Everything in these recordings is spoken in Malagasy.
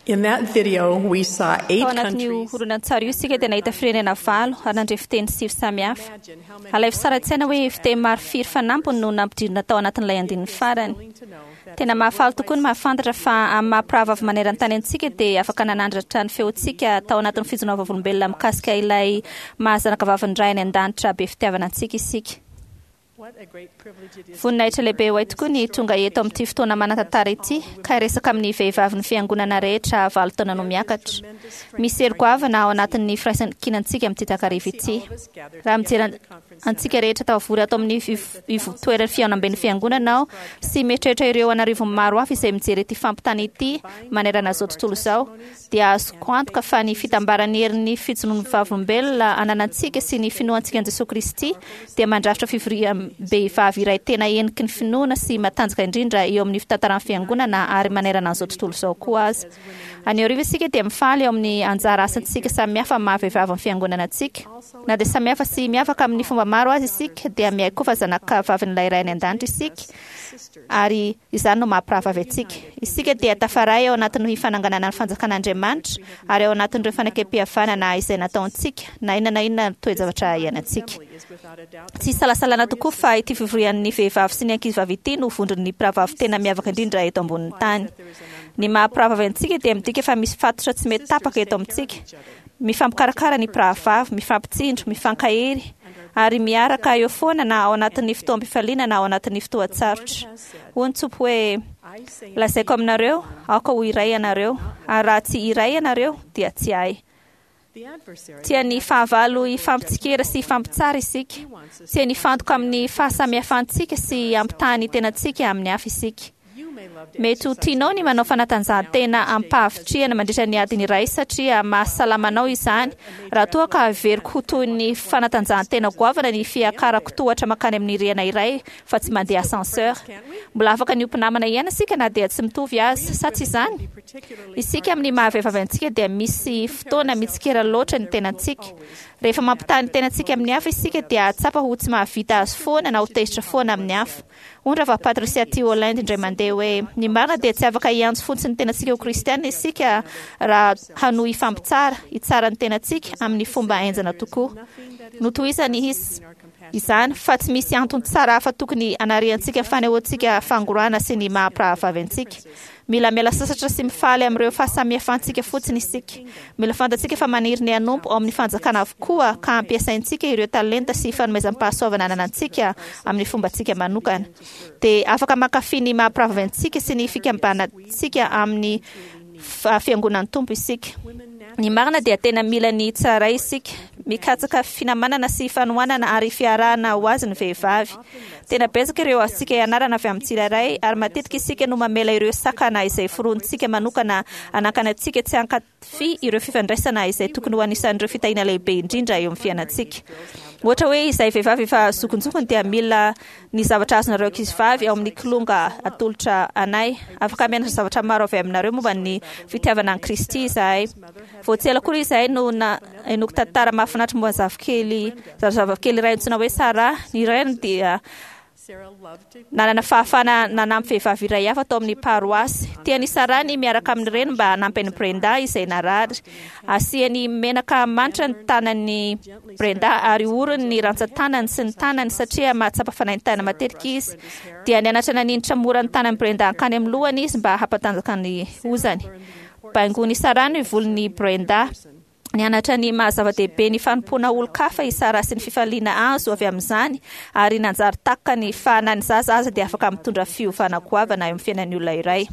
In that video, we saw Tao eight anatin'io countries. horonantsary io isika dia nahita firenena valo ary nandre fiteny sivy samihafa. Alaivo sary an-tsaina hoe fiteny maro firy fanampiny no nampidirina tao anatin'ilay andininy farany. Tena mahafaly tokoa ny mahafantatra fa amin'ny maha mpirahavavy maneran-tany antsika dia afaka nanandratra ny feontsika tao anatin'ny fijoroana vavolombelona mikasika ilay maha zanakavavin'ny Ray any an-danitra be fitiavana antsika isika. What a great privilege it is. Voninahitra lehibe ho ahy tokoa ny tonga eto amin'ity fotoana manan-tantara ity ka hiresaka amin'ny vehivavin'ny fiangonana rehetra valo taona no miakatra. Misy hery goavana ao anatin'ny firaisankinantsika amin'ity takariva ity. Raha mijery an- antsika rehetra tafavory ato amin'ny ivo- ivotoeran'ny fihaonamben'ny fiangonana aho sy mieritreritra ireo an'arivony maro hafa izay mijery ity fampitana ity manerana izao tontolo izao, dia azoko antoka fa ny fitambaran'ny herin'ny fijoroan'ny vavolombelona ananantsika sy ny finoantsika an'i Jesoa Kristy dia mandrafitra fivoriam-behivavy iray tena heniky ny finoana sy matanjaka indrindra eo amin'ny fitantaran'ny Fiangonana ary manerana an'izao tontolo izao koa aza. Any aoriana isika dia mifaly eo amin'ny anjara asantsika samihafa amin'ny maha-vehivavy ny Fiangonana antsika. Na dia samihafa sy miavaka amin'ny fomba maro aza isika dia miaiky koa fa zanakavavin'ilay Ray any An-danitra isika ary izany no maha-mpirahavavy antsika. Isika dia tafaray ao anatin'ny fananganana ny fanjakan'Andriamanitra ary ao anatin'ireo fanekem-pihavanana izay nataontsika, na inona na inona toe-javatra iainantsika. Tsy isalasalana tokoa fa ity fivorian'ny vehivavy sy ny ankizivavy ity no vondron'ny mpirahavavy tena miavaka indrindra eto ambonin'ny tany. Ny maha-mpirahavavy antsika dia midika fa misy fatotra tsy mety tapaka eto amintsika. Mifampikarakara ny mpirahavavy, mifampitsindro, mifankahery, ary miaraka eo foana na ao anatin'ny fotoam-pifaliana na ao anatin'ny fotoan-tsarotra. Hoy ny Tompo hoe, Lazaiko aminareo, aoka ho iray ianareo, ary raha tsy iray ianareo, dia tsy ahy. Tian'ny fahavalo hifampitsikera sy hifampitsara isika. Tiany hifantoka amin'ny fahasamihafantsika sy hampitaha ny tenantsika amin'ny hafa isika. Mety ho tianao ny manao fanatanjahantena amim-pahavitrihana mandritra ny adiny iray satria mahasalama anao izany, raha toa ka heveriko ho toy ny fanatanjahantena goavana ny fiakarako tohatra mankany amin'ny rihana iray fa tsy mandeha ascenseur. Mbola afaka ny ho mpinamana ihany isika na dia tsy mitovy aza, sa tsy izany? Isika amin'ny maha-vehivavy antsika dia misy fotoana mitsikera loatra ny tenantsika. Rehefa mampitaha ny tenantsika amin'ny hafa isika dia hahatsapa ho tsy mahavita azy foana na ho tezitra foana amin'ny hafa. Hoy Rahavavy Patricia T. Holland indray mandeha hoe, Ny marina dia tsy afaka hiantso fotsiny ny tenantsika ho Kristiana isika raha hanohy hifampitsara, hitsara ny tenantsika, amin'ny fomba henjana tokoa. Notohizany izy izany fa tsy misy antony tsara hafa tokony hanariantsika ny fanehoantsika fangorahana sy ny maha-mpirahavavy antsika. Mila miala sasatra sy mifaly amin'ireo fahasamihafantsika fotsiny isika. Mila fantatsika fa maniry ny hanompo ao amin'ny fanjakana avokoa ka ampiasaintsika ireo talenta sy fanomezam-pahasoavana ananantsika amin'ny fombantsika manokana. Dia afaka mankafy ny maha-mpirahavavy antsika sy ny fikambanantsika amin'ny Fiangonan'ny Tompo isika. Ny marina dia tena mila ny tsirairay isika. Mikatsaka finamanana sy fanohanana ary fiarahana ho azy ny vehivavy. Tena betsaka ireo azontsika ianarana avy amin'ny tsirairay ary matetika isika no mamela ireo sakana izay foronintsika manokana hanankana antsika tsy hankafy ireo fifandraisana izay tokony ho anisan'ireo fitahiana lehibe indrindra eo amin'ny fiainantsika. Ohatra hoe izahay vehivavy efa zokinjokiny dia mila ny zavatra azonareo ankizivavy ao amin'ny kilonga atolotra anay. Afaka mianatra zavatra maro avy aminareo momba ny fitiavana an'i Kristy izahay. Vao tsy ela akory izahay no nahenoako tantara mahafinaritra momba ny zafikely, zazavavikely iray antsoina hoe Sarah. Ny rainy dia nanana fahafahana nanampy vehivavy iray hafa tao amin'ny paroasy. Tian'i Sarah ny miaraka amin'ny reniny mba hanampy an'i Brenda izay narary. Asiany menaka manitra ny tanan'i Brenda ary orony ny rantsan-tanany sy ny tanany satria mahatsapa fanaintaina matetika izy. Dia nianatra naninitra mora ny tanan'i Brenda hankany amin'ny lohany izy mba hampatanjaka ny hozany. Baingoin'i Sarah ny volon'i Brenda. Nianatra ny maha zava-dehibe ny fanompoana olon-kafa i Sarah sy ny fifaliana azo avy amin'izany ary nanjary takany fa na ny zaza aza dia afaka mitondra fiovana goavana eo amin'ny fiainan'ny olona iray.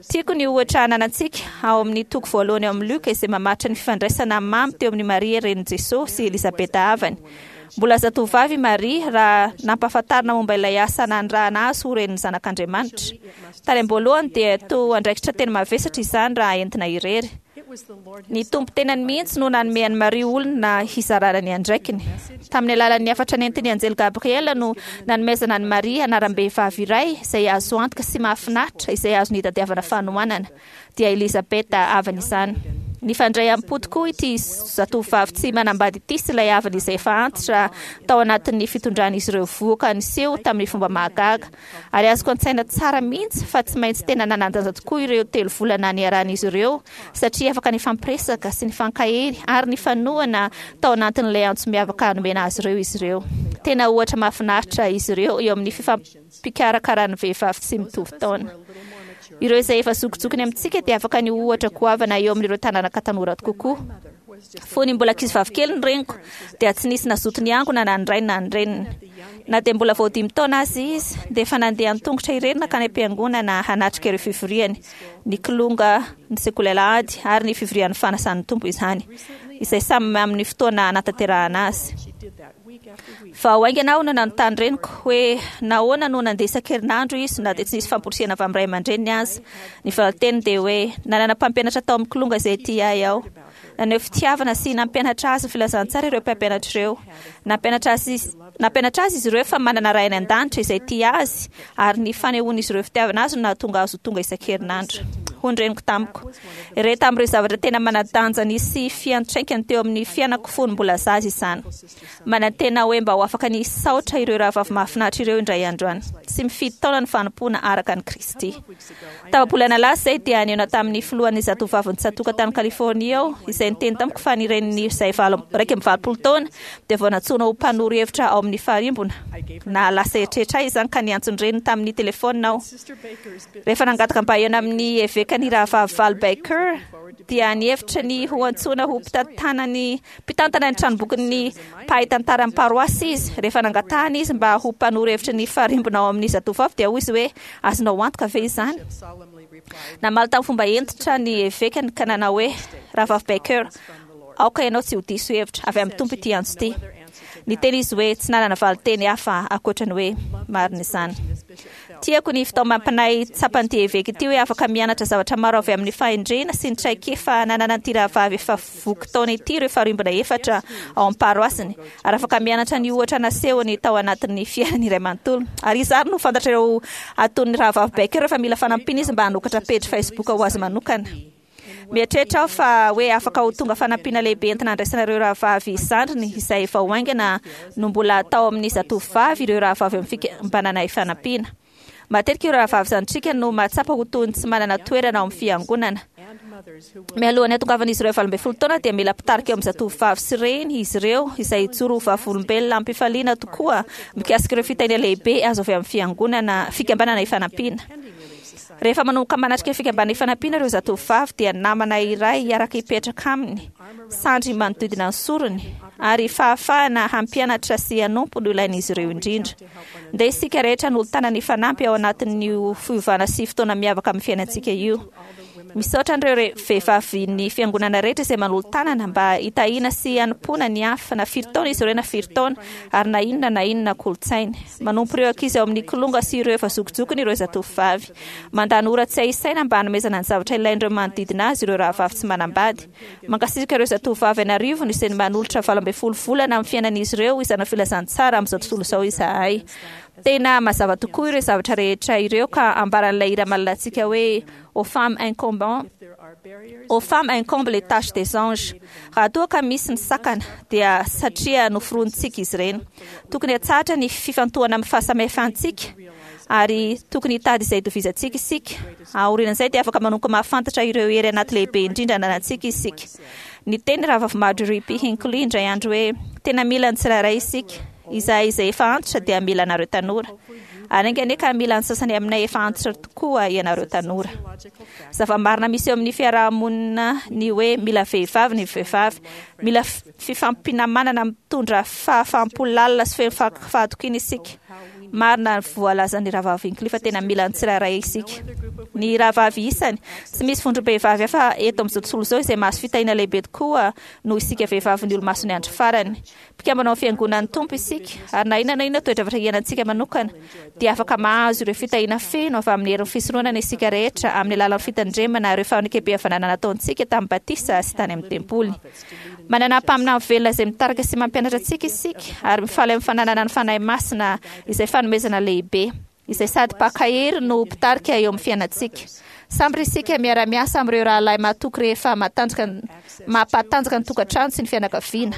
Tiako ny ohatra ananantsika ao amin'ny toko voalohany ao amin'ny Lioka izay mamaritra ny fifandraisana mamy teo amin'i Maria renin'i Jesosy sy Elizabeta havany. Mbola zatovovavy i Maria raha nampahafantarina momba ilay asa nanirahana azy ho renin'ny Zanak'Andriamanitra. Tany am-boalohany dia toa andraikitra tena mavesatra izany raha entina irery. Ny Tompo tenany mihitsy no nanome an'i Maria olona hizarana ny andraikiny. Tamin'ny alalan'ny hafatra nentin'ny anjely Gabriela no nanomezana an'i Maria anaram-behivavy iray izay azo antoka sy mahafinaritra izay azony hitadiavana fanohanana, dia Elizabeta havany izany. Nifandray am-po tokoa ity zatovovavy tsy manambady ity sy ilay havany izay efa antitra tao anatin'ny fitondran'izy ireo vohoka niseho tamin'ny fomba mahagaga. Ary azoko an-tsaina tsara mihitsy fa tsy maintsy tena nanan-danja tokoa ireo 3 volana niarahan'izy ireo, satria afaka nifampiresaka sy nifankahery ary nifanohana tao anatin'ilay antso miavaka nomena azy ireo izy ireo. Tena ohatra mahafinaritra izy ireo eo amin'ny fifampikarakarahan'ny vehivavy tsy mitovy taona. Ireo izay efa zokijokiny amintsika dia afaka ny ho ohatra goavana eo amin'ireo taranaka tanora kokoa. Fony mbola ankizivavy kely ny reniko, dia tsy nisy nazoto niangona na ny rainy na ny reniny. Na dia mbola vao 5 taona aza izy, dia efa nandeha an-tongotra irery nankany am-piangonana hanatrika ireo fivoriany, ny kilonga, ny sekoly alahady ary ny fivorian'ny fanasan'ny Tompo izany, izay samy amin'ny fotoana hanatanterahana azy. Vao haingana aho no nanontany reniko hoe nahoana no nandeha isan-kerinandro izy na dia tsy nisy famporisihana avy amin'ny ray aman-dreniny aza. Ny valin-teniny dia hoe, nanana mpampianatra tao amin'ny kilonga izay tia ahy aho. Naneho fitiavana sy nampianatra azy ny filazantsara ireo mpampianatra ireo. Nampianatra azy, nampianatra azy izy ireo fa manana Ray any an-danitra izay tia azy, ary ny fanehoan'izy ireo fitiavana azy no nahatonga azy ho tonga isan-kerinandro. Hoy ny reniko tamiko, Iray tamin'ireo zavatra tena manan-danja nisy fiantraikany teo amin'ny fiainako fony mbola zaza izany. Manantena aho hoe mba ho afaka ny hisaotra ireo rahavavy mahafinaritra ireo indray andro any. Tsy mifidy taona ny fanompoana araka an'i Kristy. Tapa-bolana lasa izay dia nihaona tamin'ny filohan'ny Zatovovavin'ny Tsatòka tany Californie aho, izay niteny tamiko fa ny reniny izay 81 taona dia vao nantsoina ho mpanoro hevitra ao amin'ny farimbona. Nahalasa eritreritra ahy izany ka niantso ny reniny tamin'ny telefaonina aho. Rehefa nangataka mba hihaona amin'ny eveka ny rahavavy Val Baker, dia nihevitra ny ho antsoina ho mpitantanany mpitantana ny tranombokin'ny mpahay tantaran'ny paroasy izy. Rehefa nangatahana izy mba ho mpanoro hevitry ny farimbona ao amin'ny zatovovavy, dia hoy izy hoe, Azonao antoka ve izany? Namaly tamin'ny fomba hentitra ny evekany ka nanao hoe, Rahavavy Baker, aoka ianao tsy ho diso hevitra. Avy amin'ny Tompo ity antso ity. Niteny izy hoe tsy nanana valin-teny hafa ankoatra ny hoe, Marina izany. Tiako ny fitaomam-panahy tsapan'ity eveka ity hoe afaka mianatra zavatra maro avy amin'ny fahendrena sy ny traikefa nananan'ity rahavavy efa voky taona ity ireo farimbona efatra ao amin'ny paroasiny, ary afaka mianatra ny ohatra nasehony tao anatin'ny fiainany iray manontolo. Ary iza ary no fantatrareo ataon'ny rahavavy Baker fa mila fanampiana izy mba hanokatra pejy Facebook ho azy manokana? Mieritreritra aho fa hoe afaka ho tonga fanampiana lehibe entina handraisana ireo rahavavy zandriny izay vao haingana no mbola tao amin'ny zatovovavy ireo rahavavy amin'ny fikambanana Ifanampiana. Matetika ireo rahavavy zandrintsika no mahatsapa ho toy ny tsy manana toerana ao amin'ny fiangonana. Mialohan'ny hatongavan'izy ireo 18 taona dia mila mpitarika eo amin'ny zatovovavy sy reny izy ireo izay hijoro ho vavolombelona amim-pifaliana tokoa mikasika ireo fitahiana lehibe azo avy amin'ny fiangonana fikambanana Ifanampiana. Rehefa manomboka manatrika fikambanana Ifanampiana ireo zatovovavy dia namana iray hiaraka hipetraka aminy, sandry manodidina ny sorony, ary fahafahana hampianatra sy hanompo no ilain'izy ireo indrindra. Ndeha isika rehetra hanolo-tanana hifanampy ao anatin'io fiovana sy fotoana miavaka amin'ny fiainantsika io. Misaotra an'ireo vehivavin'ny fiangonana rehetra izay manolo-tanana mba hitahiana sy hanompoana ny hafa, na firy taona izy ireo na firy taona, ary na inona na inona kolontsainy. Manompo ireo ankizy ao amin'ny kilonga sy ireo efa zokijokiny ireo zatovovavy. Mandany ora tsy hay isaina mba hanomezana ny zavatra ilain'ireo manodidina azy ireo rahavavy tsy manambady. Mankasitraka ireo zatovovavy an'arivony izay manolotra 18 volana amin'ny fiainan'izy ireo hizara filazantsara amin'izao tontolo izao izahay. Tena mazava tokoa ireo zavatra rehetra ireo ka ambaran'ilay hira malalantsika hoe Aux femmes incombent, Aux femmes incombe les tâches des anges. Raha toa ka misy ny sakana dia satria noforonintsika izy ireny. Tokony hatsahatra ny fifantohana amin'ny fahasamihafantsika ary tokony hitady izay itovizantsika isika. Aorian'izay dia afaka manomboka mahafantatra ireo hery anaty lehibe indrindra ananantsika isika. Niteny Rahavavy Marjorie P. Hinckley indray andro hoe, Tena mila ny tsirairay isika. Izahay izay efa antitra dia mila anareo tanora. Ary enga anie ka mila ny sasany aminay efa antitra tokoa ianareo tanora. Zava-marina misy eo amin'ny fiaraha-monina ny hoe mila vehivavy ny vehivavy. Mila fifampinamanana mitondra fahafaham-po lalina sy feno fahatokiana isika. Marina ny voalazan'ny Rahavavy Hinckley fa tena mila ny tsirairay isika. Ny rahavavy isany, tsy misy vondrom-behivavy hafa eto amin'izao tontolo izao izay mahazo fitahiana lehibe tokoa noho isika vehivavin'ny Olomasin'ny Andro Farany. Mpikambana ao amin'ny Fiangonan'ny Tompo isika, ary na inona na inona toe-javatra iainantsika manokana, dia afaka mahazo ireo fitahiana feno avy amin'ny herin'ny fisoronana isika rehetra amin'ny alalan'ny fitandremana ireo fanekem-pihavanana nataontsika tamin'ny batisa sy tany amin'ny tempoly. Manana mpaminany velona izay mitarika sy mampianatra antsika isika, ary mifaly amin'ny fananana ny Fanahy Masina izay fanomezana lehibe, izay sady mpankahery no mpitarika eo amin'ny fiainantsika. Sambatra isika miara-miasa amin'ireo rahalahy mahatoky rehefa matanjaka mampatanjaka ny tokantrano sy ny fianakaviana.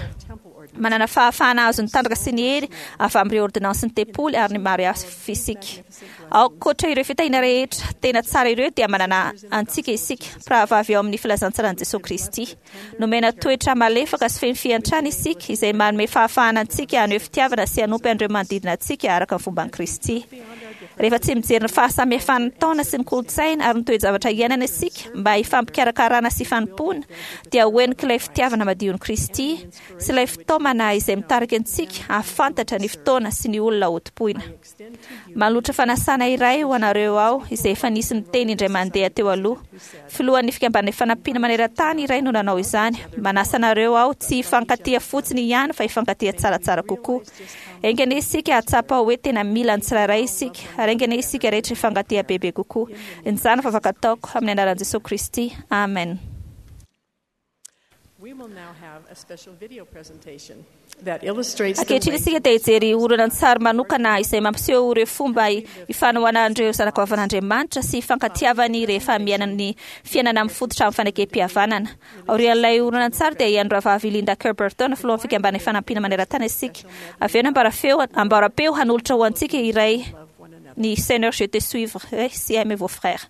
Manana fahafahana hahazo ny tanjaka sy ny hery avy amin'ireo ôrdônansin'ny tempoly ary ny maro hafa isika. Ankoatra ireo fitahiana rehetra tena tsara ireo dia manana antsika isika, mpirahavavy ao amin'ny filazantsaran'i Jesoa Kristy. Nomena toetra malefaka sy feno fiantrana isika izay manome fahafahana antsika haneho fitiavana sy hanompo an'ireo manodidina antsika araka ny fomban'i Kristy. Rehefa tsy mijery ny fahasamihafan'ny taona sy ny kolontsaina ary ny toe-javatra iainana isika mba hifampikarakarana sy hifanompoana, dia ho henik'ilay fitiavana madion'i Kristy sy ilay fitaomana izay mitarika antsika hahafantatra ny fotoana sy ny olona hotompoina. Manolotra fanasana iray ho anareo aho izay efa nisy niteny indray mandeha teo aloha. Filohan'ny Fikambanana Ifanampiana Maneran-tany iray no nanao izany. Manasa anareo aho tsy hifankatia fotsiny ihany fa hifankatia tsaratsara kokoa. Enga anie isika hahatsapa hoe tena mila ny tsirairay isika, ary enga anie isika rehetra hifankatia bebe kokoa. Izany no vavaka ataoko, amin'ny anaran'i Jesoa Kristy. Amen. We will now have a special video presentation that illustrates the Ankehitriny way isika dia hijery horonantsary manokana izay mampiseho ireo fomba ifanohanan'ireo zanakavavin'Andriamanitra sy ifankatiavany rehefa miaina ny fiainana mifototra amin'ny fanekem-pihavanana. Aorian'ilay horonantsary dia hihaino rahavavy Linda Kerr Burton, filohan'ny Fikambanana Ifanampiana Maneran-tany isika. Avy eo ny ambarafeo, ambarapeo hanolotra ho antsika iray love one another. ny Seigneur je te suivrai si aimez vos frères.